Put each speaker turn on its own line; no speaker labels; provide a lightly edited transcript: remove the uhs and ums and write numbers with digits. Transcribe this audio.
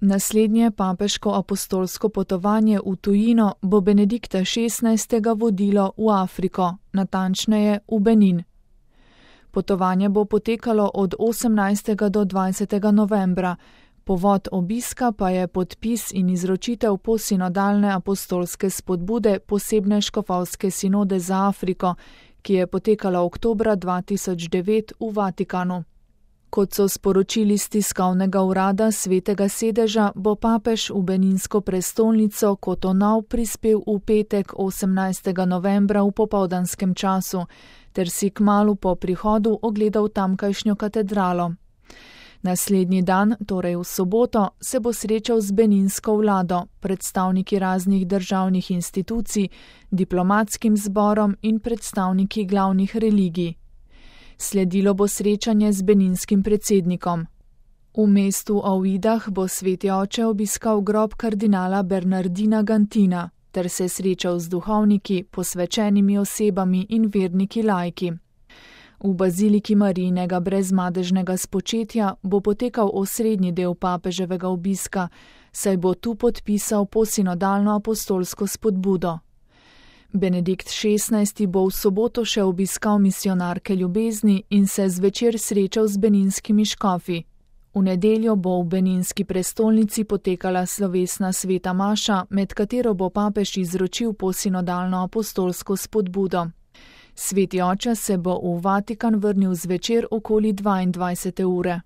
Naslednje papeško apostolsko potovanje v tujino bo Benedikta XVI. Vodilo v Afriko, natančneje v Benin. Potovanje bo potekalo od 18. do 20. novembra, povod obiska pa je podpis in izročitev posinodalne apostolske spodbude posebne škofovske sinode za Afriko, ki je potekala oktobra 2009 v Vatikanu. Kot so sporočili z tiskovnega urada Svetega sedeža, bo papež v beninsko prestolnico Cotonou prispel v petek 18. novembra v popoldanskem času, ter si kmalu po prihodu ogledal tamkajšnjo katedralo. Naslednji dan, torej v soboto, se bo srečal z beninsko vlado, predstavniki raznih državnih institucij, diplomatskim zborom in predstavniki glavnih religij. Sledilo bo srečanje z beninskim predsednikom. V mestu Ouidah bo sveti oče obiskal grob kardinala Bernardina Gantina ter se srečal z duhovniki, posvečenimi osebami in verniki laiki. V baziliki Marijinega brezmadežnega spočetja bo potekal osrednji del papeževega obiska, saj bo tu podpisal posinodalno apostolsko spodbudo. Benedikt XVI. Bo v soboto še obiskal misijonarke ljubezni in se zvečer srečal z beninskimi škofi. V nedeljo bo v beninski prestolnici potekala slovesna sveta maša, med katero bo papež izročil posinodalno apostolsko spodbudo. Sveti oče se bo v Vatikan vrnil zvečer okoli 22. ure.